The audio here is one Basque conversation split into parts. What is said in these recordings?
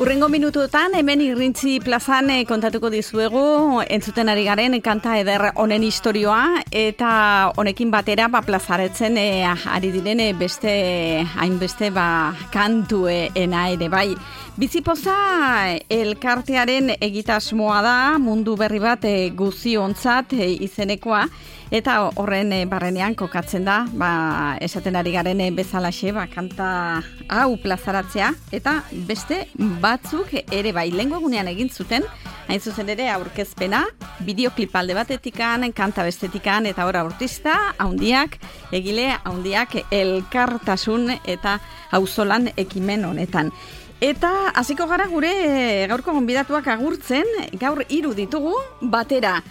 Urrengo minutuetan, hemen Irrintzi plazan kontatuko dizuegu, entzuten ari garen kanta eder honen historioa, eta honekin batera plazaretzen ari diren hainbeste kantuena ere bai. Bizipoza elkartearen egitasmoa da, mundu berri bat guziontzat izenekoa, eta horren barrenean kokatzen da, esaten ari garen bezalaxe, kanta hau plazaratzea, eta beste batzuk ere bai. Lehengo egunean egin zuten, hain zuzen ere aurkezpena, bideoklip alde batetikan, kanta bestetikan, eta hor artista haundiak, egile haundiak elkartasun eta auzolan ekimen honetan. Eta hasiko gara gure gaurko gonbidatuak agurtzen, gaur 3 ditugu batera.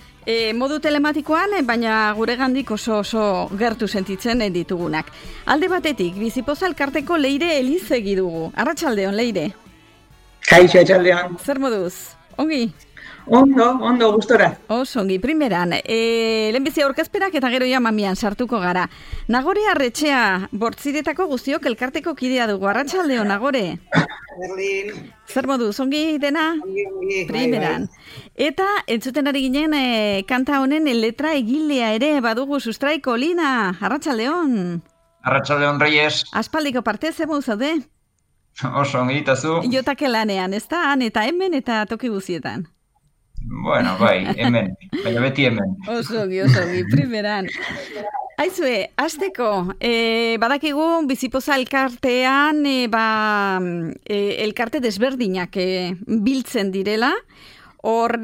Modu telematikoan, baina gure gandik oso gertu sentitzen ditugunak. Alde batetik, Bizipoza elkarteko Leire Elizegi dugu. Arratsaldeon, Leire. Kaixo, arratsaldeon. Zer moduz? Ongi? Ondo, gustora. Ongi, primeran. Lehenbizi aurkezpenak eta gero ja mamian sartuko gara. Nagore Arretxea, Bortziretako guztiok elkarteko kidea dugu. Arratsaldeon, Nagore. Berlin. Zer moduz, ongi dena? Ongi. Primeran. Eta entzuten ari ginen kanta honen letra egilea ere badugu Sustraiko Lina. Arratsaldeon. Arratsaldeon, Reyes. Aspaldiko parte ze moduz zaude? Oso ongi itazu. Jotake lanean, ez da? Han eta hemen eta toki guzietan. Bueno, bai, hemen. Baina beti hemen. Oso ongi, primeran. Aizue, hasteko, badakigu Bizipoza elkartean elkarte desberdinak biltzen direla, hor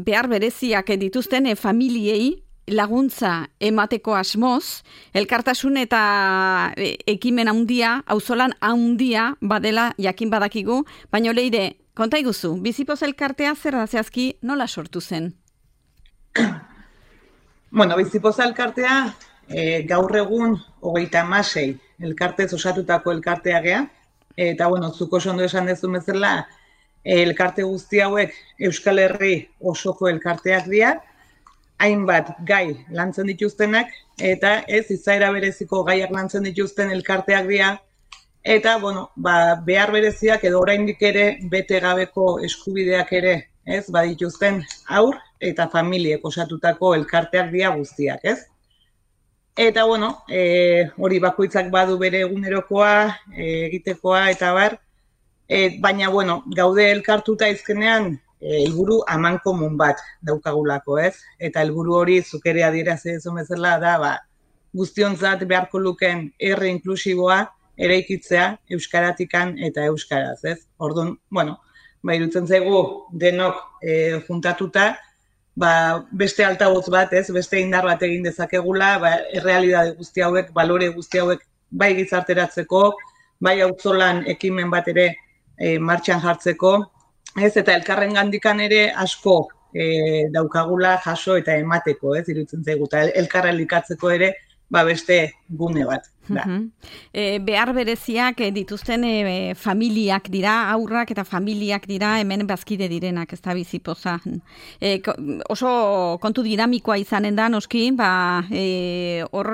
behar bereziak dituzten familiei laguntza emateko asmoz, elkartasun eta ekimen handia, auzolan handia badela jakin badakigu, baina Leire, konta iguzu, Bizipoza elkartea zer da zehazki nola sortu zen? Bueno, Bizipoza elkartea gaur egun 36 elkartez osatutako elkartea gea, eta bueno, zuk oso ondo esan dezu bezala, elkarte guzti hauek Euskal Herri osoko elkarteak dira, hainbat gai lantzen dituztenak, eta ez izaera bereziko gaiak lantzen dituzten elkarteak dira, eta bueno, behar bereziak edo oraindik ere bete gabeko eskubideak ere, ez, badituzten haur eta familiek osatutako elkarteak dira guztiak, ez? Eta bueno, hori bakoitzak badu bere egunerokoa, egitekoa eta bar, baina bueno, gaude elkartuta izkenean helburu amankomun bat daukagulako, ez? Eta helburu hori zuk ere adierazi duzun bezala da, guztiontzat beharko lukeen herri inklusiboa eraikitzea euskaratikan eta euskaraz, ez? Orduan, bueno, iruditzen zaigu denok juntatuta, beste altabotz bat, ez? Beste indar bat egin dezakegula, errealitate guzti hauek, balore guzti hauek bai gizarteratzeko, bai auzolan ekimen bat ere martxan jartzeko, ez, eta elkarren gandikan ere asko daukagula jaso eta emateko, ez, iruditzen zaigu, eta elkarren likatzeko ere beste gune bat. Behar bereziak dituzten familiak dira, aurrak eta familiak dira, hemen bazkide direnak, ez da Bizipoza. Oso kontu dinamikoa izanen da, noski, hor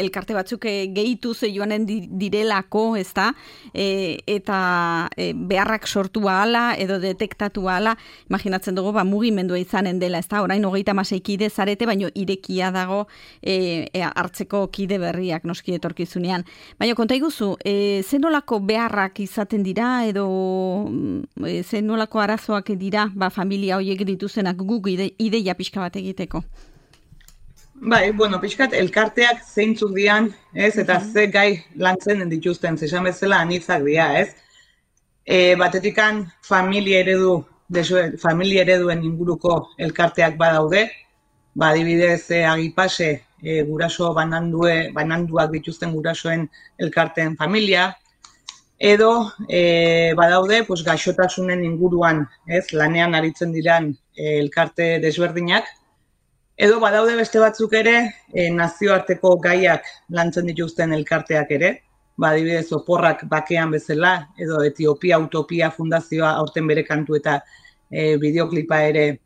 elkarte batzuk gehituz joanen direlako, ez da, eta beharrak sortu ahala edo detektatu ahala, imaginatzen dugu, mugimendua izanen dela, ez da, orain 36 kide zarete, baino irekia dago hartzeko kide berriak noski etorkizunean. Baina konta iguzu, zenolako beharrak izaten dira edo zenolako arazoak dira familia horiek dituzenak guk ideia pixka bat egiteko? Bueno, pixkat elkarteak zeintzuk dian, ez, eta ze gai lantzen dituzten, zesan bezala anitzak dira, ez? Batetikan familia ereduen inguruko elkarteak badaude, adibidez Agipase, guraso bananduak dituzten gurasoen elkarteen familia, edo badaude gaixotasunen inguruan, ez, lanean aritzen diran elkarte desberdinak, edo badaude beste batzuk ere nazioarteko gaiak lantzen dituzten elkarteak ere, adibidez Oporrak bakean bezala, edo Etiopia Utopia Fundazioa aurten bere kantu eta bideoklipa ere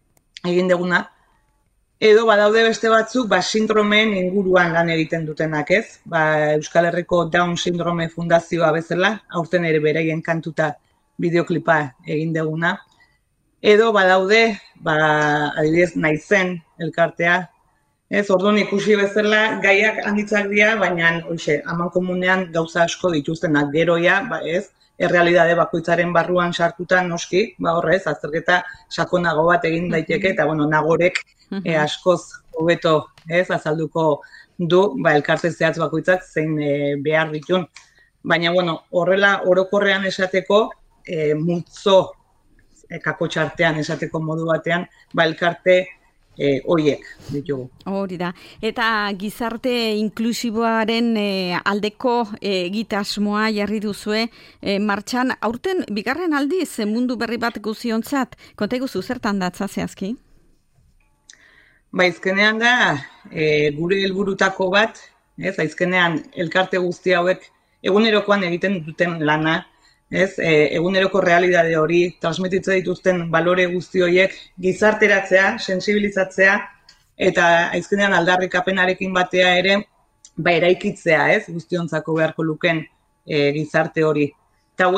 egin deguna. Edo badaude beste batzuk, sindromeen inguruan lan egiten dutenak, ez? Euskal Herriko Down Sindrome Fundazioa bezala, aurten ere beraien kantuta bideoklipa egin deguna. Edo badaude, adibidez, Naizen elkartea, ez? Orduan ikusi bezala gaiak handitzak dira, baina amankomunean gauza asko dituztenak geroia, ez? Errealitate bakoitzaren barruan sartuta noski, horrez, azterketa sakonago bat egin daiteke, eta nagorek askoz hobeto azalduko du elkarte zehatz bakoitzak zein behar ditun. Baina, horrela orokorrean esateko, multzo kakotxartean esateko modu batean, elkarte horiek ditugu. Hori da. Eta gizarte inklusiboaren aldeko egitasmoa jarri duzue martxan. Aurten, bigarren aldiz, mundu berri bat guziontzat, konta iguzu zertan datza zehazki? Azkenean da, gure helburutako bat, azkenean elkarte guzti hauek egunerokoan egiten duten lana, eguneroko realitate hori, transmititze dituzten balore guzti horiek gizarteratzea, sensibilizatzea, eta azkenean aldarrikapenarekin batea ere, eraikitzea, guztiontzako beharko luken gizarte hori. Eta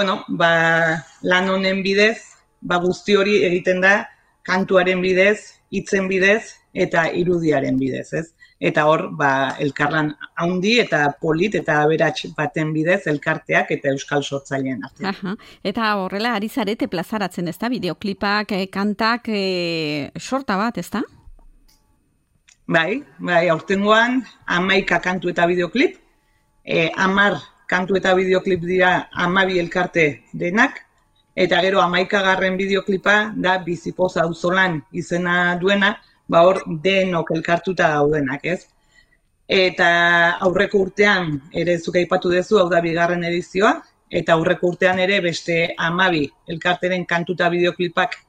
lan honen bidez, guzti hori egiten da, kantuaren bidez, hitzen bidez, eta irudiaren bidez, ez? Eta hor, elkarlan haundi eta polit eta aberats baten bidez elkarteak eta euskal sortzaileen artean. Eta horrela, ari zarete plazaratzen, ez da? Bideoklipak, kantak, sorta bat, ez da? Bai, aurtengoan 11 kantu eta bideoklip, 10 kantu eta bideoklip dira 12 elkarte denak, eta gero 11. bideoklipa da Bizipoz auzolan izena duena, hor denok elkartuta daudenak, ez? Eta aurreko urtean ere zuk aipatu duzu, hau da bigarren edizioa, eta aurreko urtean ere beste 12 elkarteren kantuta bideoklipak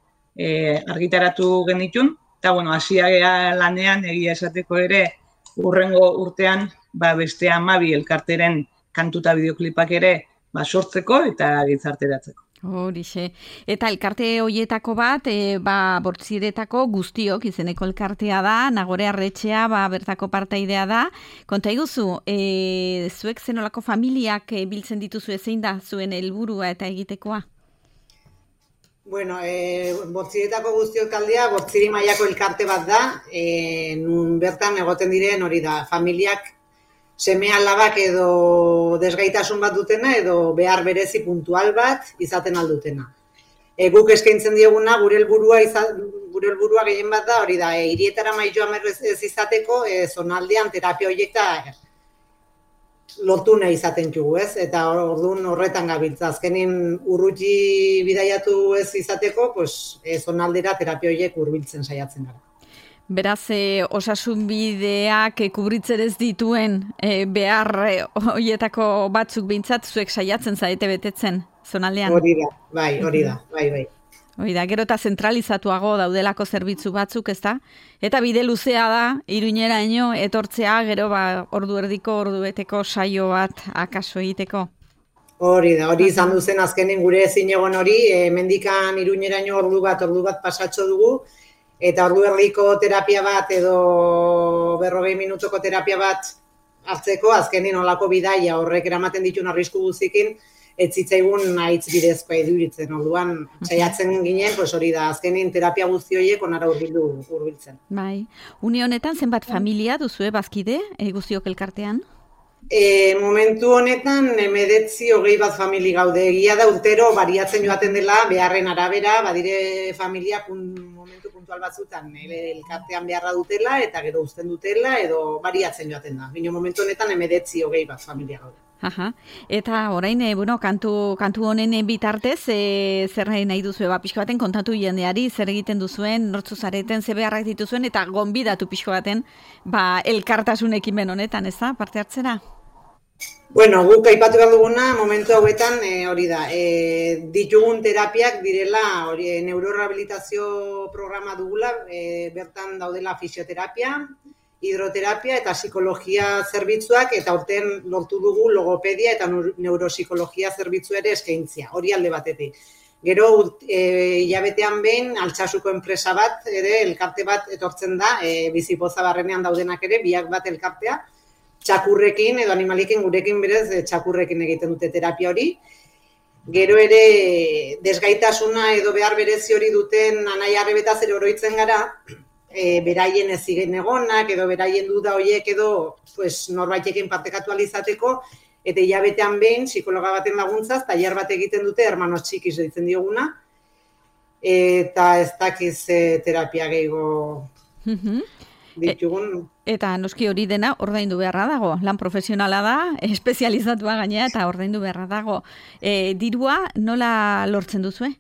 argitaratu genitun, eta hasia lanean egia esateko ere urrengo urtean beste 12 elkarteren kantuta bideoklipak ere sortzeko eta gizarteratzeko. Horixe. Eta elkarte hoietako bat, Bortziretako guztiok izeneko elkartea da, Nagore Arretxea, bertako partaidea da. Konta iguzu, zuek zenolako familiak biltzen dituzu zein da zuen helburua eta egitekoa? Bortziretako guztiok taldea, Bortziri mailako elkarte bat da, nun bertan egoten diren hori da, familiak seme alabak edo desgaitasun bat dutena edo behar berezi puntual bat izaten aldutena. Guk eskaintzen dioguna gure helburua gehien bat da, hori da, hirietara mailloa ez izateko, zonaldean terapia horiek lortu nahi izaten dugu, ez? Eta orduan horretan gabiltza. Azkenin urruti bidaiatu ez izateko, zonaldera terapia horiek hurbiltzen saiatzen gara. Beraz, osasun bideak kubritzen ez dituen behar horietako batzuk behintzat zuek saiatzen zaite betetzen zonaldean? Hori da, bai. Hori da, gero eta zentralizatuago daudelako zerbitzu batzuk, ez da? Eta bide luzea da, Iruñeraino etortzea, gero ordu erdiko, ordu beteko saio bat akaso egiteko. Hori da, hori izan duzen azkenen gure zinegon hori, mendikan Iruñeraino ordu bat pasatxo dugu, eta ordu erdiko terapia bat edo 40 minutoko terapia bat hartzeko, azkenin olako bidaia horrek eramaten ditun arrisku guzikin, ez zitzaigun haitz bidezkoa iduritzen. Orduan, saiatzen ginen, hori da, azkenin terapia guzti horiek onara hurbiltzen. Bai, une honetan zenbat familia duzue bazkide, guztiok elkartean? Momentu honetan, 19-20 bat famili gaude. Egia da urtero bariatzen joaten dela, beharren arabera, badire familia momentu puntual batzutan elkartean beharra dutela, eta gero uzten dutela, edo bariatzen joaten da. Bino momentu honetan, 19-20 bat familia gaude. Eta orain, kantu honen bitartez, zer nahi duzu, pixko baten kontatu jendeari, zer egiten duzuen, nortzu zareten, ze beharrak dituzuen, eta gonbidatu pixko baten, elkartasun ekimen honetan, ez da, parte hartzera? Guk aipatu behar duguna, momentu hauetan, hori da, ditugun terapiak direla, neurorehabilitazio programa dugula, bertan daudela fisioterapia, hidroterapia eta psikologia zerbitzuak, eta urten lortu dugu logopedia eta neuropsikologia zerbitzu ere eskaintzia, hori alde batetik. Gero, hilabetean behin, Altsasuko enpresa bat, ere, elkarte bat etortzen da, Bizipoza barrenean daudenak ere, biak bat elkartea, txakurrekin edo animalikin gurekin berez txakurrekin egiten dute terapia hori. Gero ere, desgaitasuna edo behar berezi hori duten anai arrebetaz ere oroitzen gara, beraien ezigen egonak edo beraien duda horiek edo norbaitekin partekatu alizateko, eta hilabetean behin, psikologa baten laguntzaz, tailer bat egiten dute, hermanos txikiz deitzen dioguna, eta ez dakiz terapia gehiago ditugun. Eta noski hori dena ordaindu beharra dago, lan profesionala da, espezializatua gainea eta ordaindu beharra dago. Dirua nola lortzen duzue?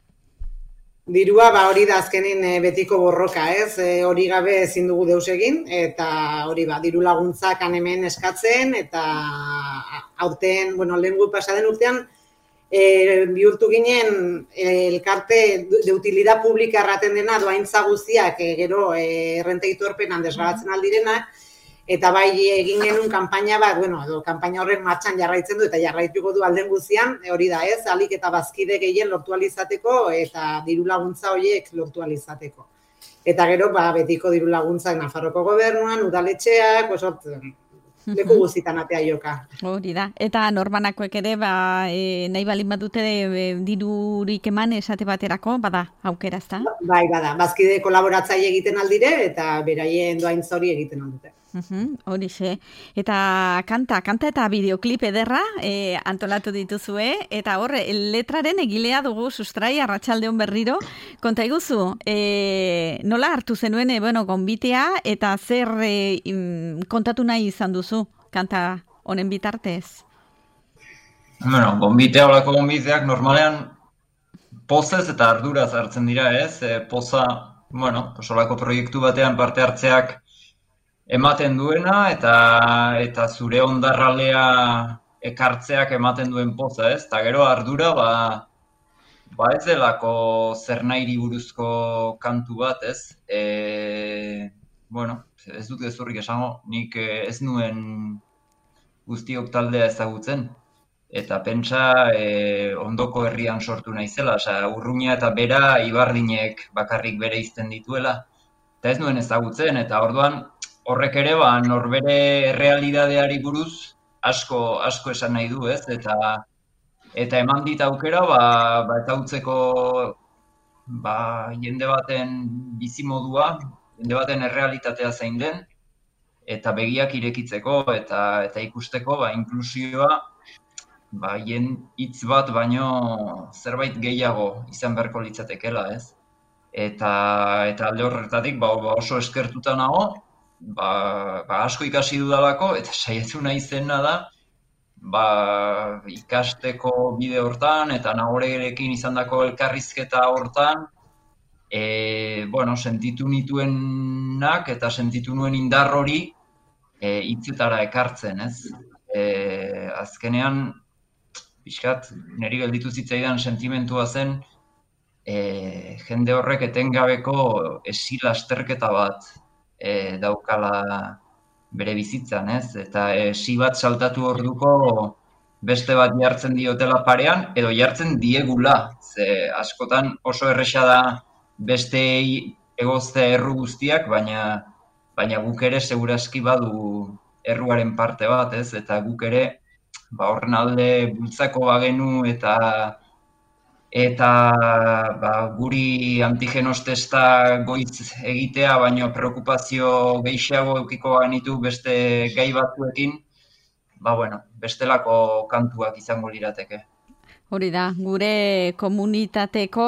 Dirua, hori da azkenin betiko borroka, ez? Hori gabe ezin dugu deus egin, eta hori diru laguntzak hemen eskatzen, eta aurten, lehen pasaden urtean, bihurtu ginen elkarte de utilidad publika erraten dena, doaintza guztiak, gero errenteitorpenan desgabatzen aldirenak, eta bai egin genuen kanpaina bat, edo kanpaina horren martxan jarraitzen du, eta jarraituko du alden guztian, hori da ez, alik eta bazkide gehien lortu alizateko, eta diru laguntza horiek lortu alizateko. Eta gero, betiko diru laguntzak Nafarroko gobernuan, udaletxeak, leku guztitan atea joka. Hori da, eta norbanakoek ere, nahi balin badute dirurik eman esate baterako, bada, aukera, ezta? Bai, bada, bazkide kolaboratzaile egiten aldire, eta beraien doaintza hori egiten aldute. Horixe, eta kanta eta bideoklip ederra antolatu dituzue, eta horre, letraren egilea dugu Sustrai Arratsaldeon berriro, konta iguzu, nola hartu zenuen, gonbitea, eta zer kontatu nahi izan duzu, kanta honen bitartez? Gonbitea, olako gonbiteak normalean pozez eta arduraz hartzen dira, ez? Poza, olako proiektu batean parte hartzeak ematen duena, eta zure ondarralea ekartzeak ematen duen poza, ez? Eta gero ardura, ez delako zer nahiri buruzko kantu bat, ez? Ez dut gezurrik esango, nik ez nuen guztiok taldea ezagutzen. Eta pentsa ondoko herrian sortu naizela, Urruña eta Bera Ibardinek bakarrik bere izten dituela. Eta ez nuen ezagutzen, eta orduan, horrek ere, norbere realidadeari buruz asko esan nahi du, ez? Eta eman dit aukera, eta utzeko jende baten bizimodua, jende baten errealitatea zein den, eta begiak irekitzeko, eta ikusteko, inklusioa, hitz bat baino zerbait gehiago izan beharko litzatekela, ez? Eta alde horretatik, oso eskertuta nago, asko ikasi dudalako, eta saiatu nahi zena da, ikasteko bide hortan, eta Nagorerekin izandako elkarrizketa hortan, sentitu nituenak, eta sentitu nuen indar hori hitzetara ekartzen, ez? Azkenean, pixkat, niri gelditu zitzaidan sentimentua zen, jende horrek etengabeko esi-lasterketa bat daukala bere bizitzan, ez? Eta esi bat saltatu orduko beste bat jartzen diotela parean, edo jartzen diegula. Ze askotan oso erresa da besteei egoztea erru guztiak, baina guk ere segurazki badu erruaren parte bat, ez? Eta guk ere horren alde bultzako bagenu eta guri antigenos testa goitz egitea, baino preokupazio gehiago eukiko ganitu beste gai batzuekin, bestelako kantuak izango lirateke. Hori da, gure komunitateko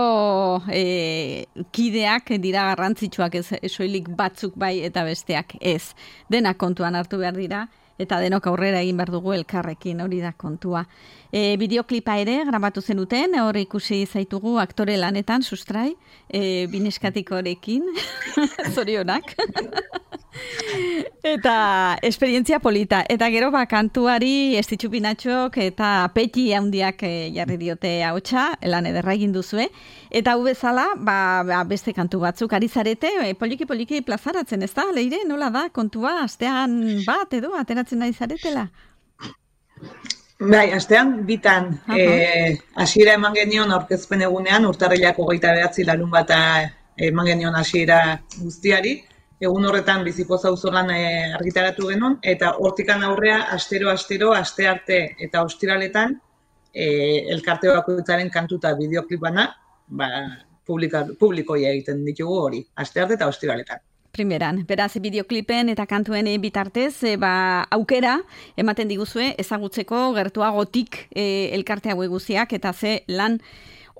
kideak dira garrantzitsuak, ez soilik batzuk bai eta besteak ez. Denak kontuan hartu behar dira, eta denok aurrera egin behar dugu elkarrekin, hori da kontua. Bideoklipa ere grabatu zenuten, hor ikusi zaitugu aktore lanetan, Sustrai, bineskatikorekin, zorionak. Eta esperientzia polita. Eta gero kantuari Estitxu Pinatxok eta Peti handiak jarri diote ahotsa, lan ederra egin duzue. Eta hau bezala, beste kantu batzuk ari zarete, poliki plazaratzen, ez da, Leire? Nola da kontua, astean bat edo ateratzen nahi zaretela? Bai, astean bitan hasiera eman genion aurkezpen egunean, urtarrilak 29 larun bata eman genion hasiera guztiari. Egun horretan Bizipoz auzolan argitaratu genuen, eta hortikan aurrea astero, aste arte eta ostiraletan elkarte bakoitzaren kantu eta bideoklip bana publikoia egiten ditugu hori, aste arte eta ostiraletan. Primeran, beraz, bideoklipen eta kantuen bitartez, aukera ematen diguzue ezagutzeko gertuagotik elkarte hauek guztiak eta ze lan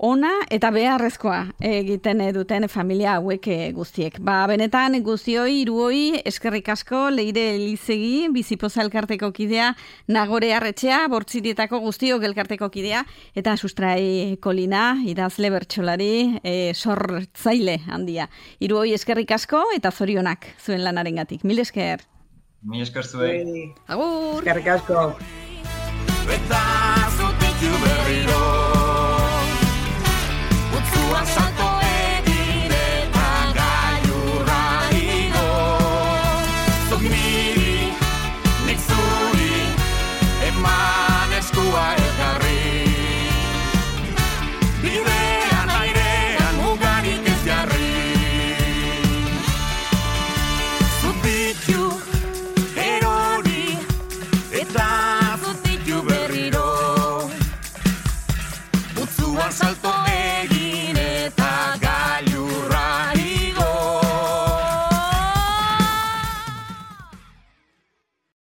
ona eta beharrezkoa egiten duten familia hauek guztiek. Benetan guztioi, hiruoi, eskerrik asko, Leire Elizegi, Bizipoza elkarteko kidea, Nagore Arretxea, Bortzirietako guztiok elkarteko kidea, eta Sustrai Kolina, idazle bertsolari, sortzaile handia. Hiruoi eskerrik asko eta zorionak zuen lanarengatik. Mil esker. Mil esker zuei. Agur. Eskerrik asko. Salto egin eta gailurra igo. Zuk niri, nik zuri, eman eskua elkarri. Bidean airean mugarik ez jarri. Zutitu erori eta zutitu berriro. Utzuan salto egin